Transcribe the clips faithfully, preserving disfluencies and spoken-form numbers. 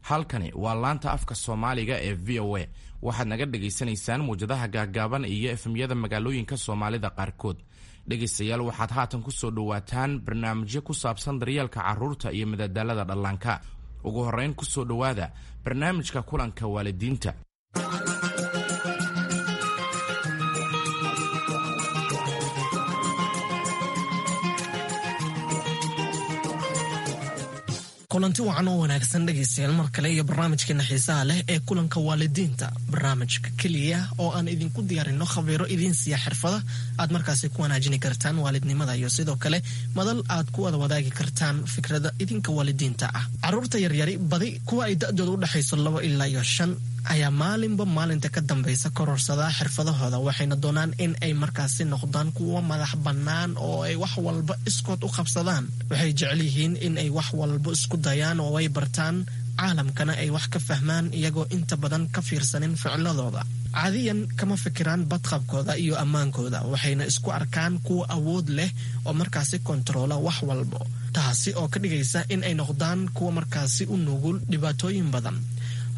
Halkani waa laanta afka Soomaaliga ee V O A. Waxaad naga dhagaysanaysaan muwjadaha gaaggaaban iyo F M-yada magaalooyinka Soomaalida qaarkood. Dhegaystayaal, waxaad haatan ku soo dhowaataan barnaamijyo ku saabsan daryeelka carruurta iyo madadaalada dhallaanka. Ugu horrayn, ku soo dhowaada barnaamijka kulanka waalidiinta. Kulanti wacan oo wanaagsan, dhegaystayaal, mar kale iyo barnaamijkeena xiisaha leh ee kulanka waalidiinta, barnaamijka keliya oo aan idinku diyaarino khabiiro idiin siiya xirfada aad markaasi ku wanaajini kartaan waalidnimada iyo sidoo kale madal aad ku wada wadaagi kartaan fikrada idinka waalidiinta ah. Caruurta yaryari, badi kuwa ay da'dooda u dhexayso labo ilaa iyo shan, ayaa maalinba maalinta ka dambaysa kororsadaa xirfadahooda, waxayna doonaan in ay markaasi noqdaan kuwa madax bannaan oo ay wax walba iskood u qabsadaan. Waxay jecel yihiin in ay wax walba isku dayaan oo ay bartaan, caalamkana ay wax ka fahmaan, iyagoo inta badan ka fiirsanin ficiladooda. Caadiyan kama fikiraan badqabkooda iyo ammaankooda, waxayna isku arkaan kuwa awood leh oo markaasi kontaroola wax walbo, taasi oo ka dhigaysa in ay noqdaan kuwa markaasi u nugul dhibaatooyin badan.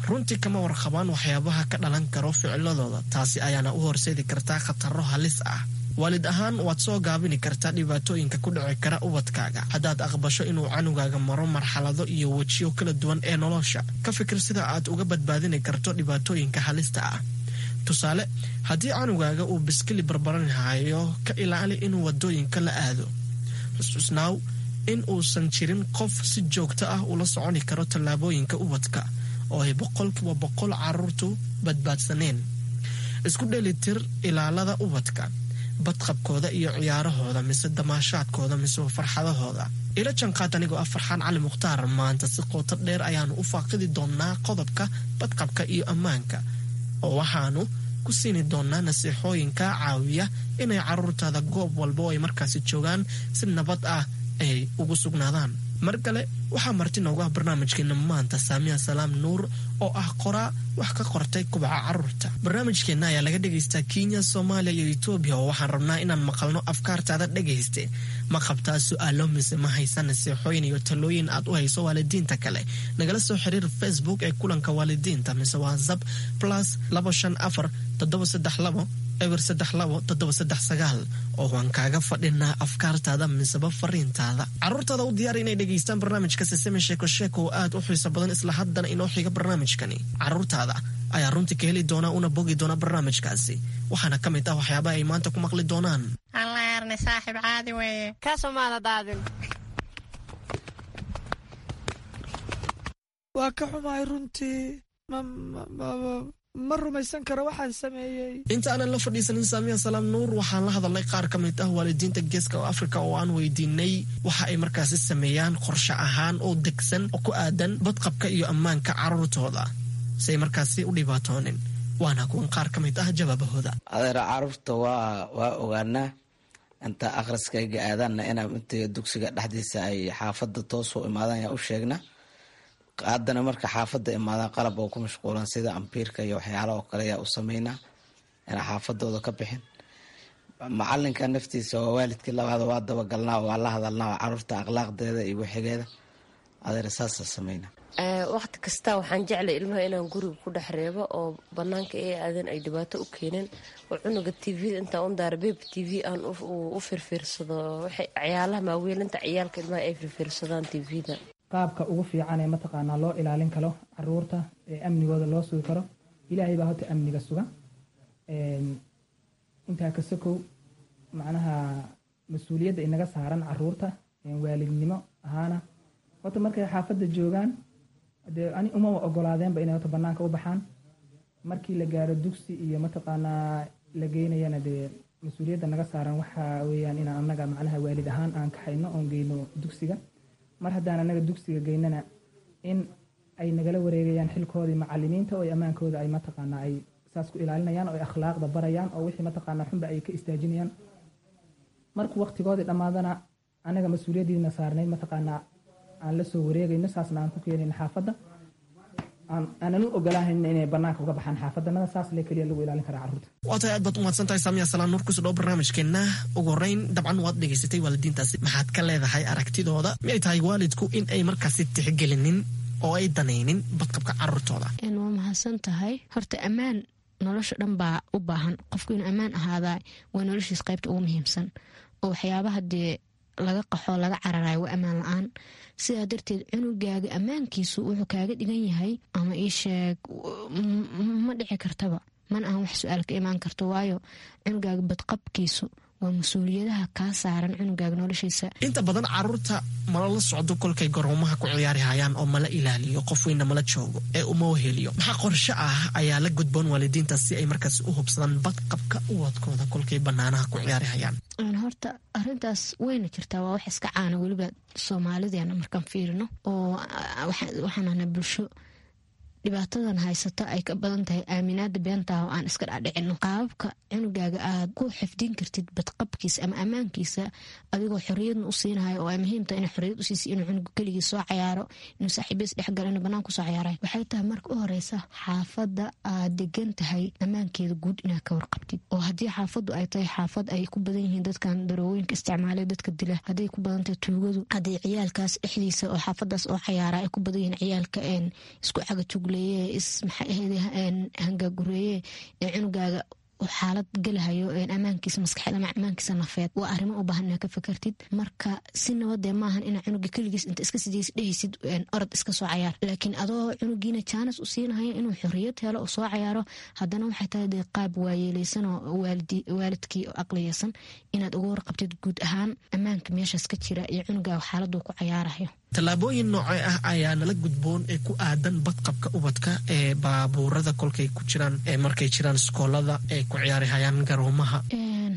Runtii kama warqabaan waxyaabaha ka dhalan karo ficiladooda, taasi ayaana u horseedi kartaa khataro halis ah. Waalid ahaan, waad soo gaabini kartaa dhibaatooyinka ku dhici kara ubadkaaga haddaad aqbasho inuu canugaaga maro marxalado iyo wejiyo kala duwan ee nolosha. Ka fikir sida aad uga badbaadini karto dhibaatooyinka halista ah. Tusaale, haddii canugaaga uu biskili barbaranhayo, ka ilaali inuu wadooyinka la aado. Xusuusnaaw in uusan jirin qof si joogto ah ula soconi karo tallaabooyinka ubadka oo ay boqolkiiba boqol caruurtu badbaadsaneen. Isku dheelitir ilaalada ubadka, badqabkooda iyo ciyaarahooda mise damaashaadkooda mise farxadahooda. Ila janqaad anigoo ah Farxaan Cali Mukhtaar. Maanta si qooto dheer ayaanu u faaqidi doonaa qodobka badqabka iyo ammaanka, oo waxaanu ku siini doonaa nasiixooyin kaa caawiya inay caruurtaada goob walba oo ay markaasi joogaan si nabad ah ay ugu sugnaadaan. Mar kale waxaa marti noogu ah barnaamijkeena maanta Saamiya Salaam Nuur, oo ah qoraa wax ka qortay kubaca caruurta. Barnaamijkeenna ayaa laga dhegaystaa Kenya, Soomaaliya iyo Etoobiya, oo waxaan rabnaa inaan maqalno afkaartaada. Dhegayste, ma qabtaa su-aalo mise ma haysa nasiixooyin iyo talooyin aad u hayso waalidiinta kale? Nagala soo xiriir Facebook ee kulanka waalidiinta mise WhatsApp plus labo shan afar toddoba saddex labo eber saddex labo toddoba saddex sagaal, oo waan kaaga fadhinaa afkaartaada miseba fariintaada. Caruurtaada u diyaar inay dhegaystaan barnaamijka Sesame Sheeko Sheeko oo aad u xiiso badan. Isla haddana inoo xiga barnaamijkani, caruurtaada ayaa runtii ka heli doona una bogi doona barnaamijkaasi. Waxaana ka mid ah waxyaabaha ay maanta ku maqli doonaan: Allaarne, saaxiib, caadi weeye. Kaasoo maada daadin. Waa ka xumahay runtii, ma rumaysan karo waxaan sameeyey. Inta aanan la fadhiisanin Saamiya Salaam Nuur, waxaan la hadalnay qaar ka mid ah waalidiinta Geeska Afrika oo aan weydiinay waxa ay markaasi sameeyaan qorshe ahaan oo degsan oo ku aadan badqabka iyo ammaanka caruurtooda si ay markaasi u dhibaatoonin. Waana kuwan qaar ka mid ah jawaabahooda. Adeera, caruurta waa waa ogaanaa inta akhriskayga aadaanna inaa inta dugsiga dhexdiisa ay xaafadda toos u imaadaan yaa u sheegna. Haddana marka xaafadda imaadaan, qalab oo ku mashquulan sida ambiirka iyo waxyaala oo kale yaa u sameynaa inaa xaafadooda ka bixin. Macalinka naftiisa waa waalidkii labaad, waa dabagalnaa, waa la hadalnaa caruurta akhlaaqdeeda iyo wixigeeda. Adeer, saasa sameynaa. Waqti kasta waxaan jeclay ilmaha inaan guriga ku dhex reebo oo banaanka ay aadan ay dhibaato u keenin, oo cunuga T V intaan u daara, Baby T V aan u firfiirsado, ciyaalaha maaweelinta ciyaalka ilmaha ay firfiirsadaan T V-da. Qaabka ugu fiican ee mataqaanaa loo ilaalin karo caruurta ee amnigooda loo sugi karo, Ilaahay baa horta amniga suga. Intaa ka sokow, macnaha mas-uuliyadda inaga saaran caruurta waalidnimo ahaana, horta markay xaafadda joogaan, dee ani umaba ogolaadeenba inay horta banaanka u baxaan. Markii la gaaro dugsi iyo mataqaanaa la geynayana, dee mas-uuliyadda naga saaran waxa weeyaan inaan annaga macnaha waalid ahaan aan kaxayno oon geyno dugsiga. Mar haddaan annaga dugsiga geynana, in ay nagala wareegayaan xilkoodii macalimiinta oo ammaankooda ay mataqaanaa ay saas ku ilaalinayaan oo ay akhlaaqda barayaan oo wixii mataqaanaa xunba ay ka istaajinayaan. Markuu waqtigoodii dhammaadana, annaga mas-uuliyaddiina saarnayd mataqaanaa aan la soo wareegayno, saasna aan ku keenayno xaafadda, aanan u ogolahayn inay banaanka uga baxaan xaafadanada. Saas le keliya lagu ilaalin karaa carruurta. Waa tahay, aad baad umahadsan tahay, Saamiya Salaan Nuur. Kusoo dhawo barnaamijkeenna. Ugu horreyn, dabcan waad dhegaysatay waalidiintaasi. Maxaad ka leedahay aragtidooda? Miyay tahay waalidku in ay markaasi tixgelinin oo ay danaynin badqabka caruurtooda? Waa mahadsan tahay. Horta ammaan nolosha dhan baa u baahan. Qofku inuu ammaan ahaadaa waa noloshiis qaybta ugu muhiimsan, oo waxyaabaha dee laga qaxo laga cararayo waa ammaan la-aan. Sidaa darteed cunugaaga ammaankiisu wuxuu kaaga dhigan yahay ama ii sheeg ma dhici kartaba, mana ahan wax su-aal ka imaan karto, waayo cunugaaga badqabkiisu waa mas-uuliyadaha kaa saaran cunugaaga noloshiisa. Inta badan caruurta mala la socdo kolkay garoomaha ku ciyaari hayaan oo mala ilaaliyo, qof weynna mala joogo ee uma weheliyo. Maxaa qorshe ah ayaa la gudboon waalidiinta si ay markaas u hubsadaan badqabka ubadkooda kolkay banaanaha ku ciyaari hayaan? Horta arintaas wayna jirtaa, waa wax iska caana weliba soomaalideena markaan fiirino, oo waxaan ahnaa bulsho dhibaatadan haysata ay ka badan tahay aaminaada beentaah oo aan iska dhadhicino. Qaababka cunugaaga aad ku xifdin kartid badqabkiisa ama ammaankiisa adigoo xoriyadna u siinahayo, oo ay muhiim tahay inay xoriyad usiisa, inuu cunugu keligii soo cayaaro, inuu saaxiibiis dhexgalo, inuu banaan kusoo cayaarayo, waxay tahay marka u horeysa xaafadda aad degan tahay ammaankeeda guud inaad ka warqabtid. Oo haddii xaafaddu ay tahay xaafad ay ku badan yihiin dadkan daroowooyinka isticmaalay, dadka dila, hadday ku badan tahay tuugadu, hadday ciyaalkaas dhexdiisa oo xaafadaas oo cayaara ay ku badan yihiin ciyaalka isku cagajug hangaagureeye ee cunugaaga xaalad gelahayo ammaankiisa maskaxeed ama ammaankiisa nafeed, waa arrimo u baahan inaad ka fakartid. Marka si nabadee maahan inaa cunuga keligiis inta iska sidiis dhehaysid orod iska soo cayaar, laakiin adoo cunugiina jaanis u siinahayo inuu xoriyad helo oo soo cayaaro, haddana waxay tahay dee qaab waayeeleysan oo waalidkii oo aqliyeysan inaad uga warqabtid guud ahaan ammaanka meeshaas ka jira iyo cunugaaga xaaladuu ku cayaarayo. Tallaabooyin noocee ah ayaa nala gudboon ee ku aadan badqabka ubadka ee baabuurada kolkay ku jiraan, ee markay jiraan iskoolada, ee ku ciyaari hayaan garoomaha?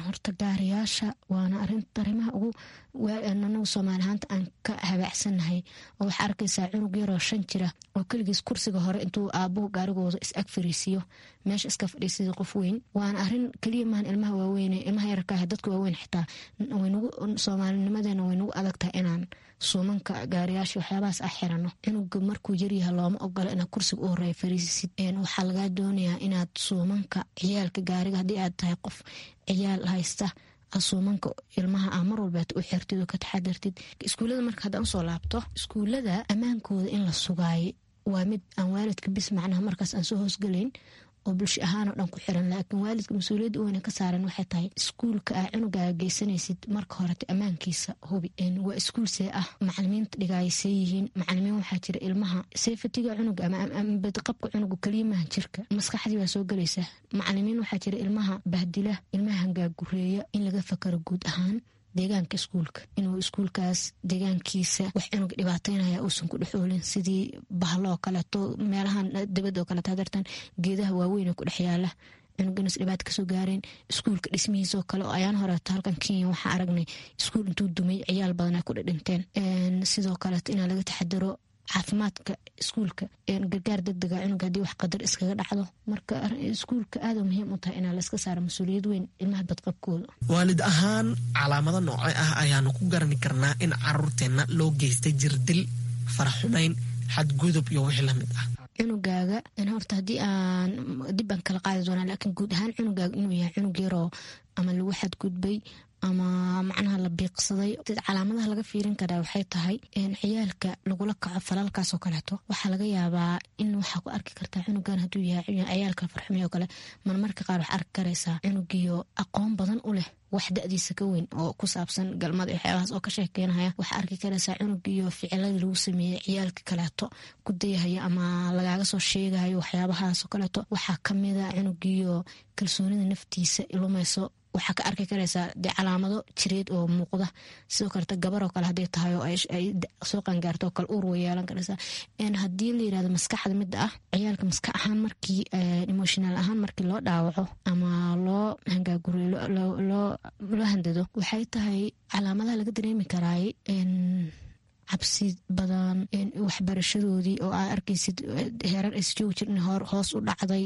Horta gaariyaasha waana arimaha ugu anagu soomaali ahaanta aan ka habaacsannahay, oo waxaa arkaysaa cunug yaroo shan jira oo keligiis kursiga hore intuu aabuhu gaarigooda is ag fariisiyo meesha iska fadhiisida qof weyn. Waana arin keliya maahan ilmaha waaweyne, ilmaha yararka ah, dadka waaweyn xitaa waynagu soomaalinimadeena way nagu adag tahay inaan suumanka gaariyaasha waxyaabahaas ah xirano. Cunuga markuu yaryaha looma ogola inaad kursiga u horeeya fariisisid. Waxaa lagaa doonayaa inaad suumanka ciyaalka gaariga, haddii aad tahay qof ciyaal haysta, suumanka ilmaha ah mar walba u xirtid oo ka taxadartid. Iskuullada marka haddaan usoo laabto, iskuullada ammaankooda in la sugaayo waa mid aan waalidka bis macnaha markaas aan soo hoosgalayn oo bulsho ahaan oo dhan ku xiran, laakiin waalidka mas-uuliyadda weyna ka saaran waxay tahay iskuulka aa cunugaaga geysanaysid marka horete ammaankiisa hubi. Waa iskuul see ah, macalimiinta dhigaaya see yihiin. Macalimiin waxaa jira ilmaha safetiga cunuga ama badqabka cunuga keliya maaha jirka, maskaxdii baa soo gelaysa. Macalimiin waxaa jira ilmaha bahdila, ilmaha hangaagureeya. In laga fakaro guud ahaan deegaanka iskuulka, inuu iskuulkaas deegaankiisa wax cunuga dhibaateynaya uusan ku dhex oolin, sidii bahlo oo kaleeto, meelahan dibadda oo kaleeto hadartan geedaha waaweyn oo ku dhex yaala cunuganas dhibaata kasoo gaareen. Iskuulka dhismihiisoo kale oo ayaan horeeto halkan Kenya waxaa aragnay iskuul intuu dumay ciyaal badan ay ku dhidhinteen. Sidoo kaleeto inaa laga taxadaro caafimaadka iskuulka, gargaar degdega cunuga haddii wax qadar iskaga dhacdo. Marka iskuulka aada muhiim u tahay inaa layska saaro mas-uuliyad weyn ilmaha badqabkooda. Waalid ahaan calaamado noocee ah ayaanu ku garani karnaa in caruurteenna loo geystay jirdil, faraxumayn, xadgudub iyo wixii lamid ah? Cunugaaga horta haddii aan dib baan kala qaadi doonaa, laakiin guud ahaan cunugaaga inuu yahay cunug yaroo ama lagu xadgudbay ama macnaha la biiqsaday, calaamadaha laga fiirin karaa waxay tahay ciyaalka lagula kaco falalkaasoo kaleeto. Waxaa laga yaabaa in waxaa ku arki kartaa cunugan hadduu yahay ciyaalka farxumay oo kale, marmarka qaar wax arki karaysaa cunugiyo aqoon badan u leh wax da-diisa ka weyn oo ku saabsan galmada iyo waxyaabahaas oo ka sheekeynaya. Waxaa arki karaysaa cunugiyo ficiladii lagu sameeyey ciyaalka kaleeto ku dayahaya ama lagaaga soo sheegayo waxyaabahaasoo kaleeto. Waxaa kamida cunugiyo kalsoonida naftiisa lumayso. Waxaa ka arki karaysaa dee calaamado jireed oo muuqda. Sidoo kaleeto gabaroo kale hadday tahay oo ay soo qangaarto oo kale uur way yeelan karaysaa. Haddii la yirahdo maskaxda midda ah, ciyaalka maskax ahaan markii emotional ahaan markii loo dhaawaco ama loo hangaaguriyo, loo handado, waxay tahay calaamadaha laga dareemi karaay cabsi badan, waxbarashadoodii oo aa arkaysid heerar aysa joogi jirin hoos u dhacday.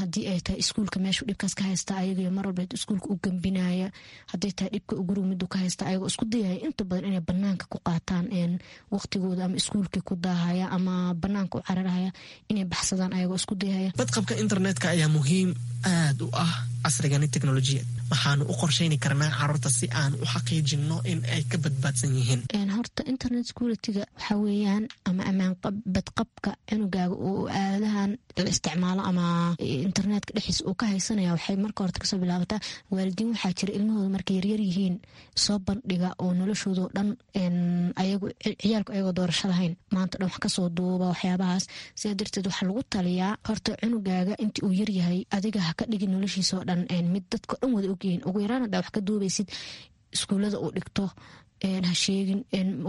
Haddii ay tahay iskuulka meeshuu dhibkaas ka haysta ayagio mar walba iskuulka u gambinaya, hadday tahay dhibka guriga miduu ka haysta ayagoo isku dayaya inta badan inay banaanka ku qaataan waqtigooda, ama iskuulkii ku daahaya ama banaanka u cararaya inay baxsadaan ayagoo isku dayaya. Badqabka internetka ayaa muhiim aad u ah casrigani teknolojiyad. Maxaanu u qorshayni karnaa caruurta si aan u xaqiijinno in ay ka badbaadsan yihiin? Horta internet security-ga waxaa weeyaan ama ammaan badqabka cunugaaga uu aaladahan la isticmaalo ama internetka dhexdiisa uu ka haysanaya, waxay marka horta kasoo bilaabataa waalidiin waxaa jira ilmahooda markay yaryar yihiin soo bandhiga oo noloshoodao dhan ayagu ciyaalku ayagoo doorasho lahayn maanta dhan wax kasoo duuba waxyaabahaas. Sidaa darteed waxaa lagu taliyaa horta cunugaaga intii uu yaryahay adiga ha ka dhigin noloshiisao dhan mid dadka dhan wada ogyihiin. Ugu yaraan haddaa wax ka duubaysid iskuullada uu dhigto ha sheegin,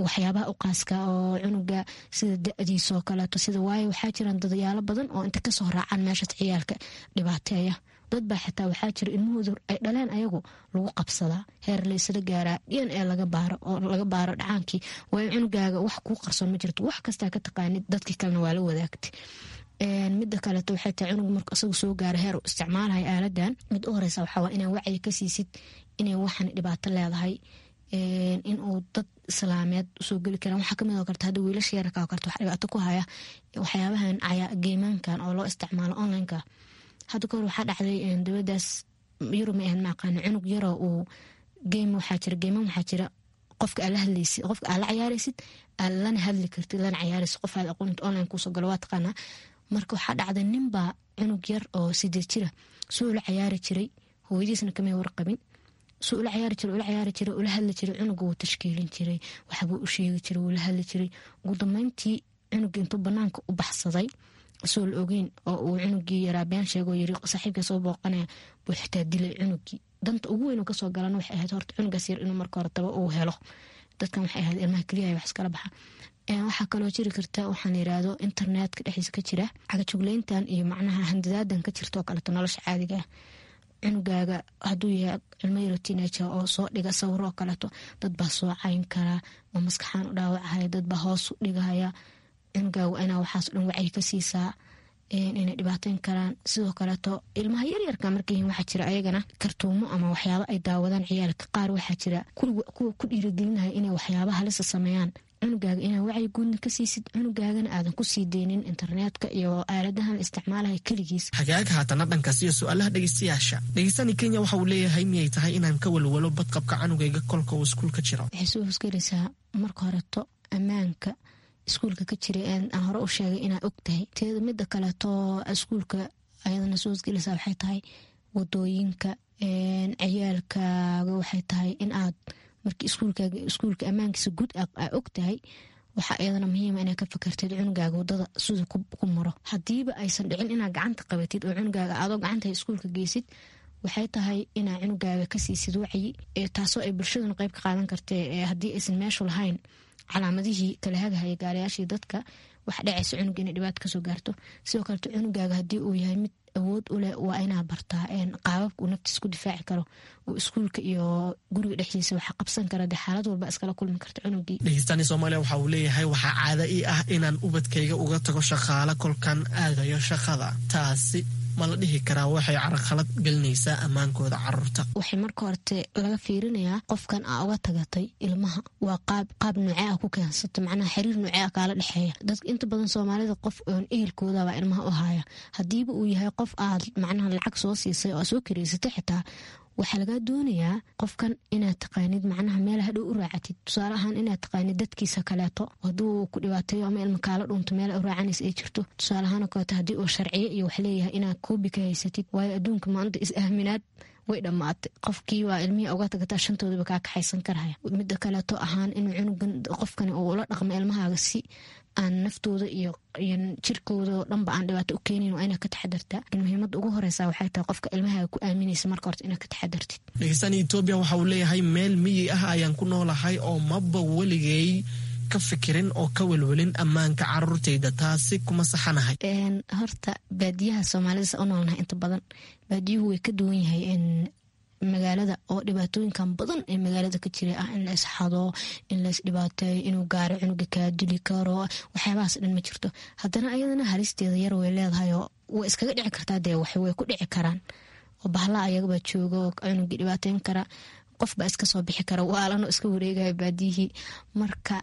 waxyaabaha u qaaska oo cunuga sida da-diisoo kaleeto sida, waayo waxaa jiraan dadayaalo badan oo inta kasoo raacaan meeshaas ciyaalka dhibaateeya. Dad baa xitaa waxaa jira ilmahooda ay dhaleen ayagu lagu qabsadaa heer laysla gaaraa d n a laga baaro oo laga baaro dhacaankii. Waayo cunugaaga wax kuu qarsoon ma jirto, wax kastaa ka taqaanid dadkii kalena waa la wadaagtay. Mida kaleeto waxay tahay cunug marka isagu soo gaaro heer uu isticmaalaya aaladan, mid u horeysa waxaa waa inaa wacyi ka siisid inay waxan dhibaato leedahay, in uu dad islaameed usoo geli karaan. Waxaa kamid oo karta hadda wiilasha yararka oo karta wax dhibaato ku haya waxyaabahan geemaankan oo loo isticmaalo onlineka. Hadda kahor waxaa dhacday dowladaas Yurub ma ahayn ma aqaano, cunug yaroo uu geem waxaa jira geeman waxaa jira qofka aad la hadlaysid, qofka aad la cayaaraysid aad lana hadli kartid lana cayaaraysid qof aad aqoonta online kuusoo galo waa taqaanaa. Marka waxaa dhacday ninbaa cunug yar oo sideed jira suu ula cayaari jiray, hooyadiisna kamay warqabin, suu ula cayaari jiray ula cayaari jiray ula hadli jiray cunuga wuu tashkiilin jiray, waxbuu u sheegi jiray, wuu la hadli jiray. Ugu dambeyntii cunuga intuu banaanka u baxsaday soo la ogeyn oo uu cunugii yaraa been sheegoo yiri saaxiibka soo booqanaya buu xitaa dilay cunugii. Danta ugu weyn oo kasoo galana waxay ahayd horta cunugaas yar inuu marka hore daba uu helo. Dadkan waxay ahayd ilmaha keliya wax iskala baxa. Waxaa kaloo jiri karta waxaan yiraahdo internetka dhexdiisa ka jira cagajugleyntan iyo macnaha handadaadan ka jirta oo kaleeto nolosha caadiga ah. Cunugaaga hadduu yahay ilmo yaro teenager oo soo dhiga sawiro oo kaleeto dad baa soo cayn karaa oo maskaxaan u dhaawacahaya, dad baa hoos u dhigahaya. Cunugaaga waa inaa waxaas dhan wacyi ka siisaa inay dhibaateyn karaan. Sidoo kaleeto ilmaha yaryarka markay yihiin waxaa jira ayagana kartuumo ama waxyaaba ay daawadaan ciyaalka qaar. Waxaa jira kuwa ku dhiirigelinaya inay waxyaaba halisa sameeyaan. Cunugaaga inaa wacyi guudna ka siisid, cunugaagana aadan ku sii deynin internetka iyo aaladahan isticmaalaya keligiis. Hagaag, haatana dhankaas iyo su-aalaha dhegeystayaasha. Dhegeystani Kenya waxa uu leeyahay miyay tahay inaan ka walwalo badqabka canugayga kolka uu iskuulka jiro? Waxay soo hosgelaysaa marka horeto ammaanka iskuulka ka jiray aan hore u sheegay inaa og tahay teeda. Mida kaleeto iskuulka ayadana soo hosgelaysaa waxay tahay wadooyinka ciyaalkaaga. Waxay tahay in aad markii iskuulkaaga iskuulka ammaankiisa guud aa og tahay, waxaa iyadana muhiima inaad ka fakartid cunugaaga wadada sida ku maro. Hadiiba aysan dhicin inaad gacanta qabatid oo cunugaaga adoo gacanta iskuulka geysid, waxay tahay inaa cunugaaga ka siisid wacyi, taasoo ay bulshaduna qeyb ka qaadan kartee. Haddii aysan meeshu lahayn calaamadihii kala hagahaya gaarayaashii dadka, wax dhacaysa cunuga inay dhibaato kasoo gaarto. Sidoo kaleto cunugaaga haddii uu yahay mid awood u leh waa inaa bartaa qaababka uu naftiis ku difaaci karo oo iskuulka iyo guriga dhexdiisa waxa qabsan kara dee xaalad walba iskala kulmi karta cunugii. Dhegeystani Soomaaliya waxa uu leeyahay waxaa caada ii ah inaan ubadkayga uga tago shaqaale kolkan aadayo shaqada, taasi ma la dhihi karaa waxay carqalad gelinaysaa ammaankooda caruurta? Waxay marka horte laga fiirinayaa qofkan aa uga tagatay ilmaha waa qaab qaab noocee ah ku keensata, macnaha xiriir noocee ah kaala dhexeeya. Dadka inta badan Soomaalida qof oon ehelkoodabaa ilmaha u haya. Haddiiba uu yahay qof aad macnaha lacag soo siisay oo aad soo kareysatay, xitaa waxaa lagaa doonayaa qofkan inaad taqaanid, macnaha meel hadhow u raacatid. Tusaale ahaan inaad taqaanid dadkiisa kaleeto, hadduu ku dhibaateeyo ama ilma kaala dhunto meel u raacanaysa ay jirto. Tusaale ahaan oo kaleeto haddii uu sharciyo iyo wax leeyahay inaad koobi ka haysatid. Waayo adduunka maanta is aaminaad way dhammaatay. Qofkii waa ilmihii uga tagataa shantoodaba kaa kaxaysan karaya. Mida kaleeto ahaan inuu cunugan qofkani uu ula dhaqmo ilmahaaga si aan naftooda iyo iyo jirkooda oo dhanba aan dhibaato u keenin waa inaad ka taxadartaa. Muhiimadda ugu horeysa waxay tahay qofka ilmahaaga ku aaminaysa marka horta inaad ka taxadartid. Dhegeystani Etoobiya waxa uu leeyahay meel miyi ah ayaan ku noolahay oo maba weligay ka fikirin oo ka welwelin ammaanka caruurtayda, taasi kuma saxanahay? Horta baadiyaha Soomaalida sa u noolnahay inta badan baadiyuhu way ka duwan yahay magaalada oo dhibaatooyinkan badan ee magaalada ka jira ah in la isxado, in la isdhibaateeyo, inuu gaaro cunuga kaa dili karo, waxyaabahaas dhan ma jirto. Haddana ayadana halisteeda yar way leedahay oo way iskaga dhici kartaa, dee wax way ku dhici karaan oo bahla ayagabaa jooga oo cunugii dhibaateyn kara, qof baa iska soo bixi kara waalanoo iska wareegaya baadiyihii. Marka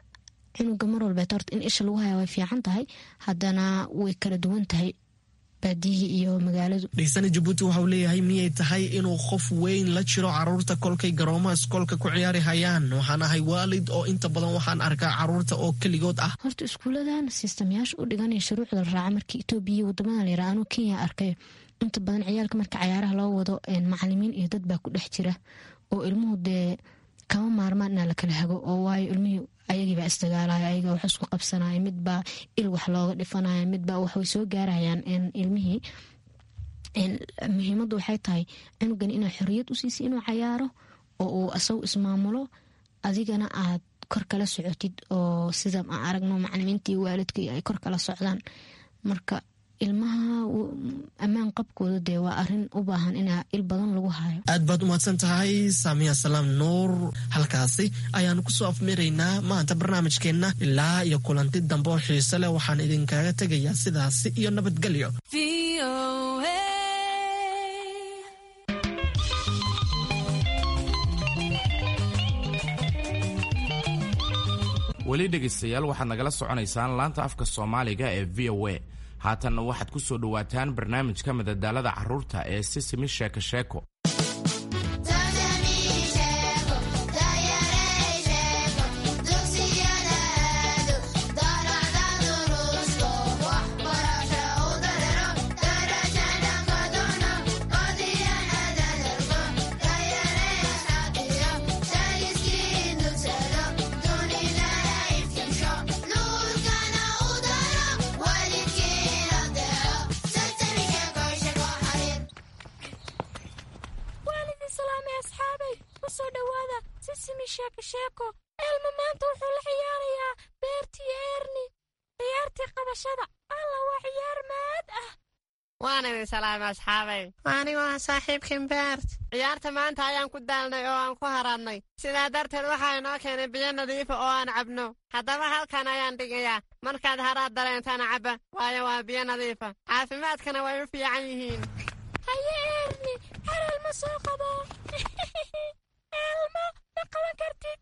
cunuga mar walbeet horta in isha lagu haya way fiican tahay, haddana way kala duwan tahay. Baadiyihii iyo magaaladu. Dhegeysana Jabuuti waxauu leeyahay, miyay tahay inuu qof weyn la jiro caruurta kolkay garoomaha iskoolka ku ciyaari hayaan? Waxaan ahay waalid oo inta badan waxaan arkaa caruurta oo keligood ah. Horta iskuuladan sistamyaasha u dhiganaya shuruucda la raaca markii Itoobiya iyo wadamadan la yiraha, anuu Kenya arkay, inta badan ciyaalka marka cayaaraha loo wado macalimiin iyo dad baa ku dhex jira oo ilmuhu dee kama maarmaan inaa la kala hago, oo waayo ilmihii ayagiibaa isdagaalaya, ayaga wax isku qabsanaya, midbaa il wax looga dhifanaya, midbaa waxway soo gaarayaan ilmihii. Muhiimaddu waxay tahay cunugan inaa xoriyad u siisay inuu cayaaro oo uu asagu ismaamulo, adigana aad kor kala socotid, oo sida aan aragno macalimiintii waalidkii ay kor kala socdaan. Marka ilmaha ammaan qabkooda dee waa arin u baahan inaa il badan lagu hayo. Aad baad umahadsan tahay Saamiya Salaam Nuur. Halkaasi ayaanu kusoo afmeeraynaa maanta barnaamijkeenna. Ilaa iyo kulanti dambe oo xiise leh, waxaan idinkaga tegayaa sidaasi iyo nabadgelyo. Weli dhegaystayaal, waxaad nagala soconaysaan laanta afka Soomaaliga ee V O A. Haatanna waxaad ku soo dhowaataan barnaamijka madadaalada carruurta ee Sisimi Sheeko Sheeko. Elma maanta wuxuu la ciyaarayaa Beertii Erni ciyaartii qabashada. Alla, waa ciyaar maad ah. Waan idin salaamay, asxaabay. Anigu waa saaxiibkan Beert. Ciyaarta maanta ayaan ku daalnay oo aan ku haraadnay, sidaa darteed waxaa inoo keenay biyo nadiifa oo aan cabno. Haddaba halkan ayaan dhigayaa, markaad haraad dareentaan cabba, waayo waa biyo nadiifa, caafimaadkana way u fiican yihiin. Haye Erni, xaral ma soo qabo. Elmo, ma qaban kartid.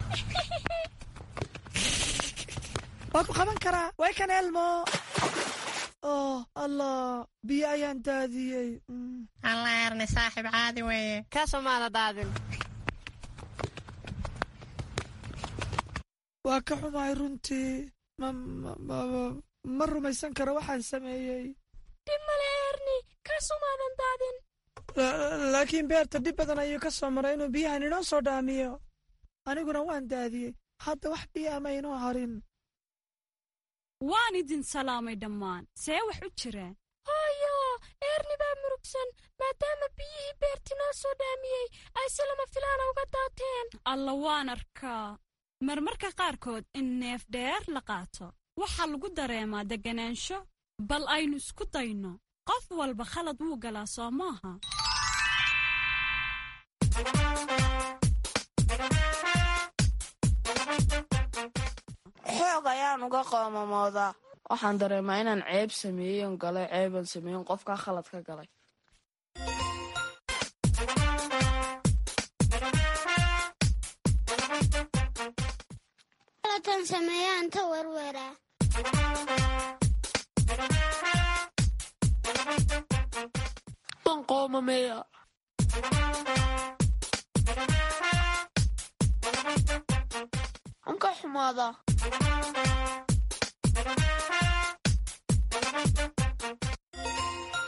Waa ku qaban karaa, way kan Elmo. Oh Allah, biyo ayaan daadiyey. Alla Erni, saaxiib caadi weeye. Kasumaada daadin. Waa ka xumahay runtii. Ma rumaysan karo waxaan sameeyey. Dhib male Erni, kasumaadan daadin. Laakiin Beerta dhib badan ayuu ka soo maray inuu biyahan inoo soo dhaamiyo, aniguna waan daadiyey. Hadda wax biyo ama inoo harin. Waan idin salaamay dhammaan. See wax u jiraan? Hooyo, Erni baa murugsan maadaama biyihii Beerti noo soo dhaamiyey ay si lama filaana uga daateen. Alla, waan arkaa. Marmarka qaarkood in neef dheer la qaato waxaa lagu dareemaa degganaansho. Bal aynu isku dayno. Qof walba khalad wuu galaa, soo maaha? Xoog ayaan uga qoomamoodaa. Waxaan dareemaa inaan ceeb sameeyen galay, ceeban sameeyen, qofkaa khalad ka galay. Khaladkan sameeyaan ta werweraa. Waan qoomameeya. Waan ka xumaadaa.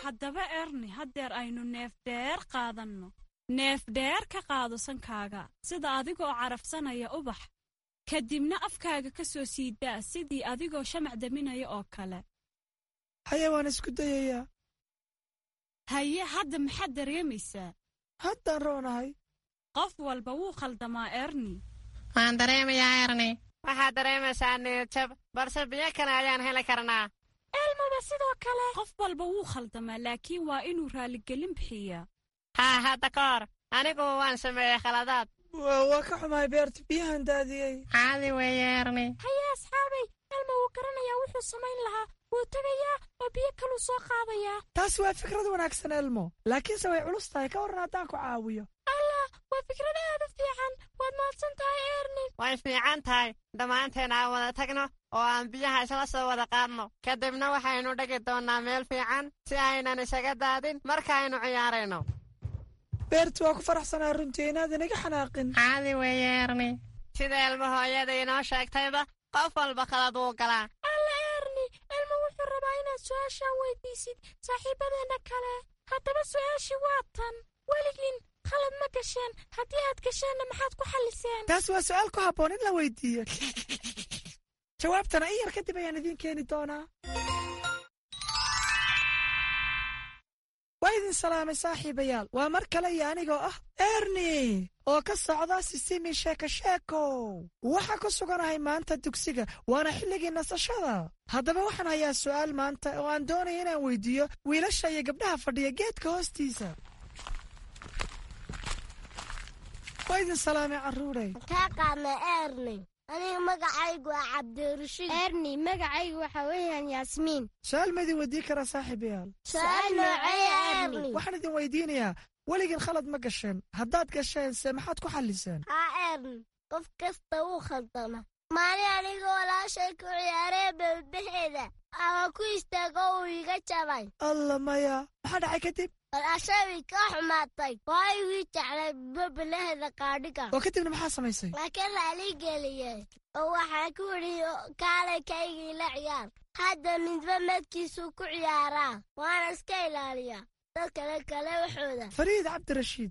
Haddaba Erni, haddeer aynu neef dheer qaadanno. Neef dheer ka qaado sankaaga sida adigoo carafsanaya ubax, kadibna afkaaga ka soo siidaa sidii adigoo shamac daminaya oo kale. Haye, waan isku dayayaa. Haye, hadda maxaad dareemaysaa? Haddaan roonahay. Qof walba wuu khaldamaa, Erni. Waan dareemayaa, Erni. Waxaad dareemaysaa niyadjab, balse biyo kale ayaan heli karnaa. Elmaba sidoo kale. Qof walba wuu khaldamaa, laakiin waa inuu raaligelin bixiyaa. Haa, hadda ka hor anigu waan sameeyey khaladaad. Waa ka xumahay Beerta, biyahan daadiyey. Caadi weeye, Erni. Haye asxaabay, Elma wuu garanayaa wuxuu samayn lahaa. Wuu tegayaa oo biyo kaluu soo qaadayaa. Taasi waa fikrad wanaagsan, Elmo, laakiinse way culus tahay. Ka warran haddaan ku caawiyo? Allah, waa fikrad aad u fiican. Waad mahadsan tahay, Erni. Way fiican tahay. Dhammaanteen aan wada tagno oo aan biyaha isla soo wada qaadno. Kadibna waxaynu dhigi doonnaa meel fiican si aynan isaga daadin markaaynu ciyaarayno. Beert, waa ku faraxsanaa runtii inaadan iga xanaaqin. Caadi weeye, Erni. Sida Elmo hooyada inoo sheegtayba, qof walba khalad wuu galaa. Alla Erni, Elmo wuxuu rabaa inaad su'aashaan weydiisid saaxiibadeenna kale. Haddaba su'aashii waa tan: weligiin khalad ma gasheen? Haddii aad gasheenna, maxaad ku xalliseen? Taas waa su'aal ku habboon in la weydiiyo. Jawaabtana in yar kadib ayaan idiin keeni doonaa. Waa idin salaamay, saaxiibayaal. Waa mar kale iyo anigoo ah Erni oo ka socda Sisimi Sheeko Sheeko. Waxaa ku suganahay maanta dugsiga, waana xilligii nasashada. Haddaba waxaan hayaa su'aal maanta oo aan doonaya inaan weydiiyo wiilasha iyo gabdhaha fadhiya geedka hoostiisa. Waa idin salaamay, carruurey. Kaa qaadna, Erni. Aniga magacaygu waa Cabdirashiid. Erni, magacaygu waxaa weeyaan Yaasmiin. Su'aal ma idin weydiin karaa, saaxiibayaal? Su'aal noocee, Erni? Waxaan idin weydiinayaa, weligiin khalad ma gasheen? Haddaad gasheen se, maxaad ku xalliseen? Haa Erni, qof kasta wuu khaldama. Maalin aniga walaashay ku ciyaaree beelbaheeda ama ku istaago, uu iga jabay. Alla maya, maxaa dhacay kadib? Walaashay way ka xumaatay, waayo wii jeclay babalaheeda qaadhiga. Oo kadibna maxaa samaysay? Laakiin raali geliyey oo waxaa ku idhi, kaalay kaygii la ciyaar. Hadda midba madkiisuu ku ciyaaraa, waana iska ilaaliyaa dad kale kale waxooda. Fariid Cabdirashiid,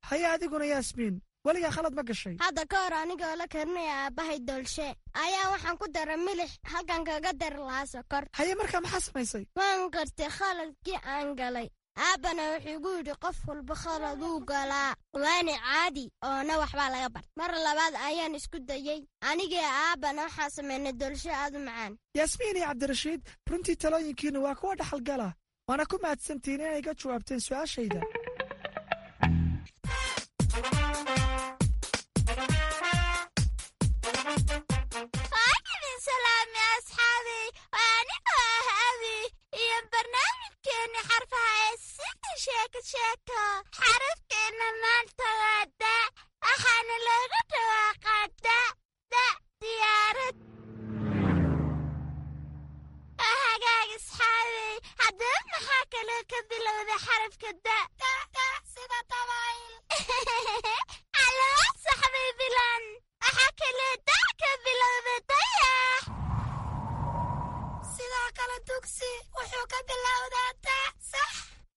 haye, adiguna Yaasmiin, weligaa khalad ma gashay? Hadda ka hor anigoo la karinaya aabbahay doolshe ayaa waxaan ku daray milix halkan kaga dari lahaa sokor. Haye, markaa maxaa samaysay? Waan gartay khaladkii aan galay. Aabbana wuxuu igu yidhi, qof walba khaladuu galaa, waana caadi oona waxbaa laga bar. Mar labaad ayaan isku dayey. Anigii aabbana waxaan samaynay doolsho aad u macaan. Yaasmiin iyo Cabdirashiid, runtii talooyinkiinnu waa kuwa dhaxalgala, waana ku mahadsantihiin inay ga jawaabteen su'aashayda. Waan idin salaamay, asxaabey. Waa anigoo ah Abi iyo barnaamijkeenni xarfaha ee Sida Sheeko Sheeko. Xarafkeenna maanta waa da, waxaana looga dhawaaqaa da da, diyaarad. Hagaag, asxaabey, haddaba maxaa kaloo ka bilowda xarafka da? Sida dabayl. Allaa, saxbay bilan. Waxaa kaloo da ka bilowda dayax. Sidoo kale dugsi wuxuu ka bilowdaa da, sax?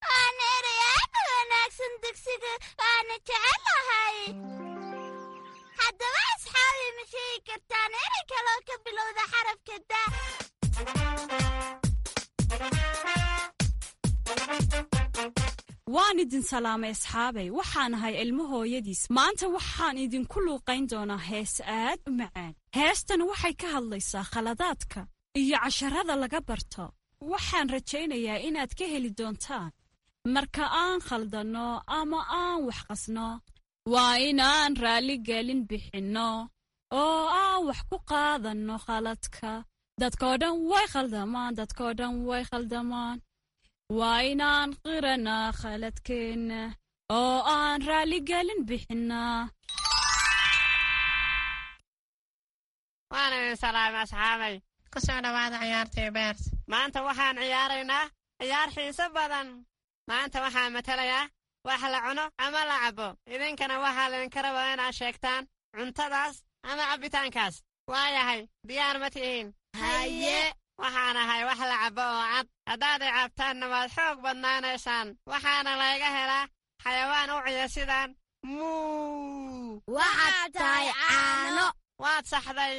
Waana erey aad u wanaagsan dugsiga, waana jecelahay. Haddaba asxaabi, ma sheegi kartaan erey kaloo ka bilowda xarafka da? Waan idin salaamay, asxaabay. Waxaan ahay Ilmo hooyadiis. Maanta waxaan idinku luuqayn doonaa hees aad u macaan. Heestan waxay ka hadlaysaa khaladaadka iyo casharada laga barto. Waxaan rajaynayaa inaad ka heli doontaan. Marka aan khaldanno ama aan wax qasno, waa inaan raalligelin bixinno oo aan wax ku qaadanno khaladka. Dadkoo dhan way khaldamaan, dadkoo dhan way khaldamaan. Waa inaan qiranaa khaladkeenna oo aan raalligelin bixinnaa. Waan idin salaamay, asxaabay. Ku soo dhowaada ciyaartii Beert. Maanta waxaan ciyaaraynaa ciyaar xiiso badan. Maanta waxaan matalayaa wax la cuno ama la cabbo. Idinkana waxaa laydinka rabaa inaad sheegtaan cuntadaas ama cabbitaankaas. Waayahay, diyaar ma tihiin? Haye. Waxaan ahay wax la cabbo oo cad. Haddaad i cabtaanna, waad xoog badnaanaysaan. Waxaana layga helaa xayawaan u ciya sidaan muu. Waxaad tahay caano. Waad saxday.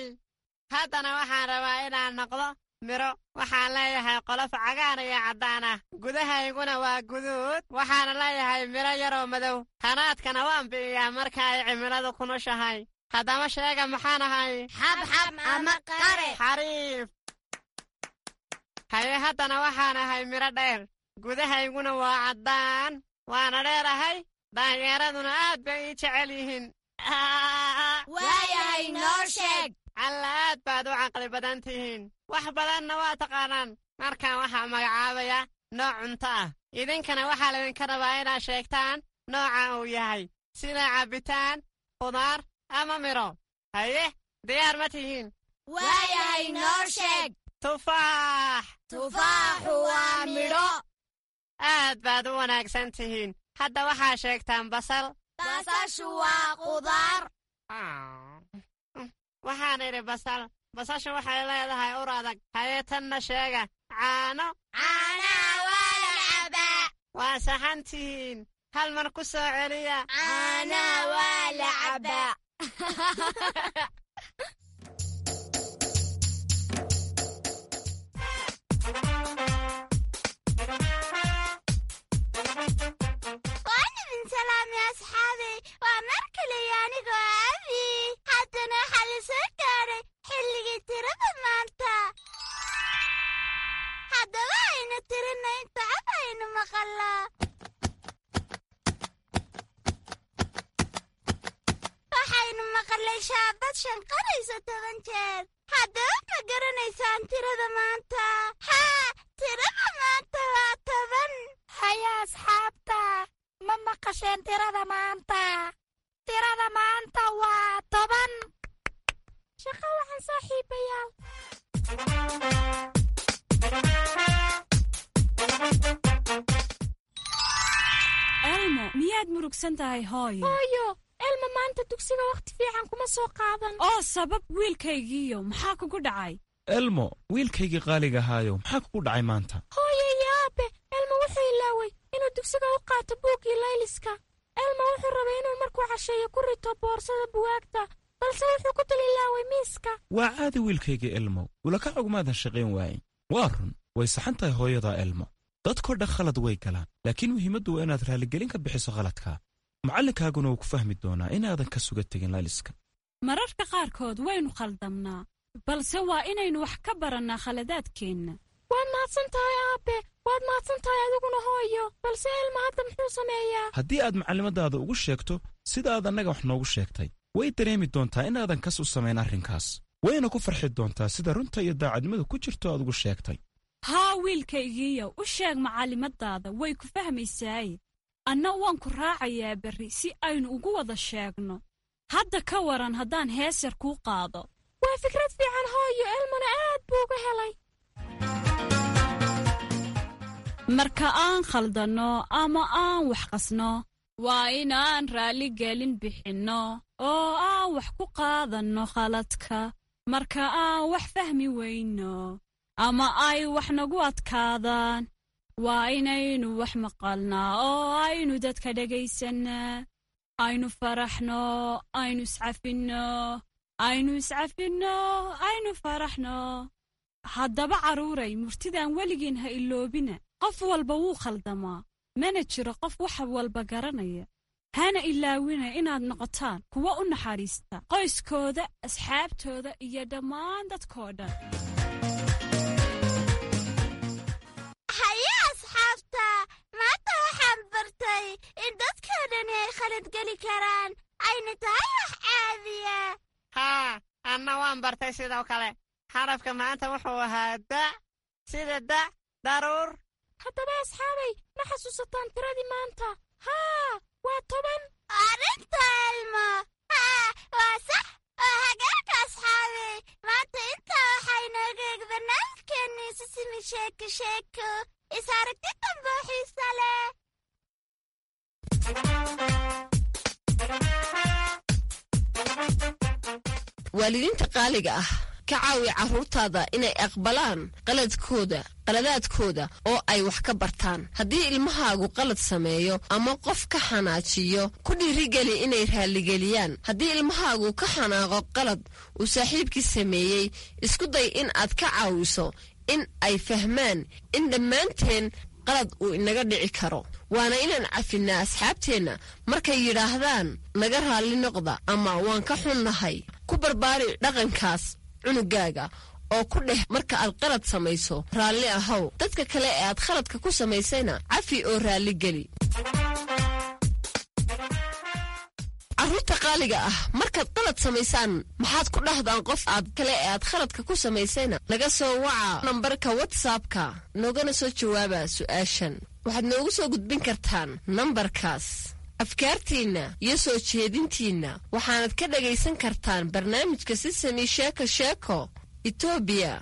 Haddana waxaan rabaa inaan noqdo miro. Waxaan leeyahay qolof cagaar iyo caddaan ah, gudahayguna waa guduud. Waxaana leeyahay miro yaroo madow. Hanaadkana waan bi'iyaa marka ay cimiladu kunushahay. Haddaba sheega, maxaan ahay? Xabxab ama qare. Xariif. Haye, haddana waxaan ahay miro dheer, gudahayguna waa caddaan, waana dheerahay. Daanyeeraduna aad bay ii jecel yihiin. Waayahay, noo sheeg. Alla, aad baad u caqli badan tihiin, wax badanna waa taqaanaan. Markaan waxaa magacaabaya nooc cunto ah, idinkana waxaa laydinka rabaa inaad sheegtaan nooca uu yahay, sida cabbitaan, khudaar ama miro. Haye, diyaar ma tihiin? Waayahay, noo sheeg. Tufaax. Tufaaxu waa midho. Aad baad u wanaagsan tihiin. Hadda waxaa sheegtaan basal. Basashu waa qudaar. Waxaan idhi basal. Basashu waxay leedahay ur adag. Haye, tanna sheega: caano. Caanaha waa la cabaa. Waa saxan tihiin. Hal mar ku soo celiya. Caanaha waa la cabaa. Waan idin salaamay, asxaabay. Waa mar kaliya anigoo Abi. Haddana waxaa la soo gaadhay xilligii tirada maanta. Haddaba aynu tirina inta cod aynu maqalaa. Waxaynu maqalay shaabad shanqaraysa toban jeer. Haddaba ma garanaysaan tirada maanta? Haa, tirada maanta waa toban. Haya asxaabta, ma maqasheen tirada maanta? Tirada maanta waa toban. Shaqo waxaan, saaxiibayaal. Elmo, miyaad murugsan tahay, hooyo? Hooyo, Elmo maanta dugsiga wakhti fiican kuma soo qaadan. Oo sabab, wiilkaygiiyo, maxaa kugu dhacay? Elmo, wiilkaygii qaaliga ahaayo, maxaa kugu dhacay maanta? Hooyo iyo aabe, Elmo wuxuu ilaaway inuu dugsiga u qaato buuggii layliska. Elmo wuxuu rabay inuu markuu casheeyo ku rito boorsada buwaagta, balse wuxuu ku dul ilaaway miiska. Waa caadi, wiilkaygii Elmo, ulakac ugumaadan shaqayn waayin. Waa run, way saxan tahay hooyadaa, Elmo. Dadkoo dhan khalad way galaan, laakiin muhiimaddu waa inaad raaligelin ka bixiso khaladka. Macallinkaaguna wuu ku fahmi doonaa inaadan ka suga tegin layliska. Mararka qaarkood waynu khaldamnaa, balse waa inaynu wax ka barannaa khaladaadkeenna. Waad mahadsan tahay, aabe. Waad mahadsan tahay adiguna, hooyo. Balse Elmo hadda muxuu sameeyaa? Haddii aad macallimadaada ugu sheegto sida aad annaga wax noogu sheegtay, way dareemi doontaa inaadan kas u samayn arrinkaas, wayna ku farxi doontaa sida runta iyo daacadnimadu ku jirto aad ugu sheegtay. Haa, wiilkaygiiyow, u sheeg macallimadaada, way ku fahmaysaaye. Anna waan ku raacayaa berri si aynu ugu wada sheegno. Hadda ka waran haddaan hees yar kuu qaado? Waa fikrad fiican, hooyo. Elmona aad buu uga helay. Marka aan khaldanno ama aan wax qasno, waa inaan raalligelin bixinno oo aan wax ku qaadanno khaladka. Marka aan wax fahmi weyno ama ay wax nagu adkaadaan, waa inaynu wax maqalnaa oo aynu dadka dhegaysanaa. Aynu faraxno, aynu iscafinno, aynu iscafinno, aynu faraxno. Haddaba carruuray, murtidan weligiin ha iloobina: qof walba wuu khaldamaa, mana jiro qof wax walba garanaya. Hana ilaawina inaad noqotaan kuwa u naxariista qoyskooda, asxaabtooda iyo dhammaan dadkoo dhan. Haye asxaabta, maanta waxaan bartay in dadkoo dhani ay khalad geli karaan, ayna tahay wax caadiya. Haa, anna waan bartay sidoo kale. Xarafka maanta wuxuu ahaa da, sida da daruur. Haddaba asxaabay, ma xasuusataan tiradii maanta? Haa, waa toban. Arrinta Elmo, haa, waa sax oo hagaagka. Asxaabay, maanta intaa waxaa inooga eg barnaamijkeennii Sisimi Sheeko Sheeko. Is aragti dambe oo xiisa leh. Waalidiinta qaaliga ah, ka caawi carruurtaada inay aqbalaan qaladkooda, qaladaadkooda oo ay wax ka bartaan. Haddii ilmahaagu qalad sameeyo ama qof ka xanaajiyo, ku dhiirigeli inay raaligeliyaan. Haddii ilmahaagu ka xanaaqo qalad uu saaxiibkii sameeyey, isku day in aad ka caawiso in ay fahmaan in dhammaanteen qalad uu inaga dhici karo, waana inaan cafinnaa asxaabteenna markay yidhaahdaan "naga raalli noqda" ama "waan ka xunnahay". Ku barbaari dhaqankaas cunugaaga oo ku dheh: "Marka aad qalad samayso, raalli ahow." Dadka kale ee aad khaladka ku samaysayna cafi oo raalli geli. Carruurta qaaliga ah, markaad qalad samaysaan, maxaad ku dhahdaan qof aad kale ee aad khaladka ku samaysayna? Naga soo waca nambarka WhatsAppka, noogana soo jawaaba su'aashan. Waxaad noogu soo gudbin kartaan nambarkaas. Afkaartiinna iyo soo jeedintiinna waxaanad ka dhagaysan kartaan barnaamijka Sisami Sheeko Sheeko Etoobiya,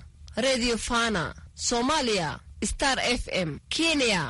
Redio Fana, Soomaaliya, Star F M, Kenya.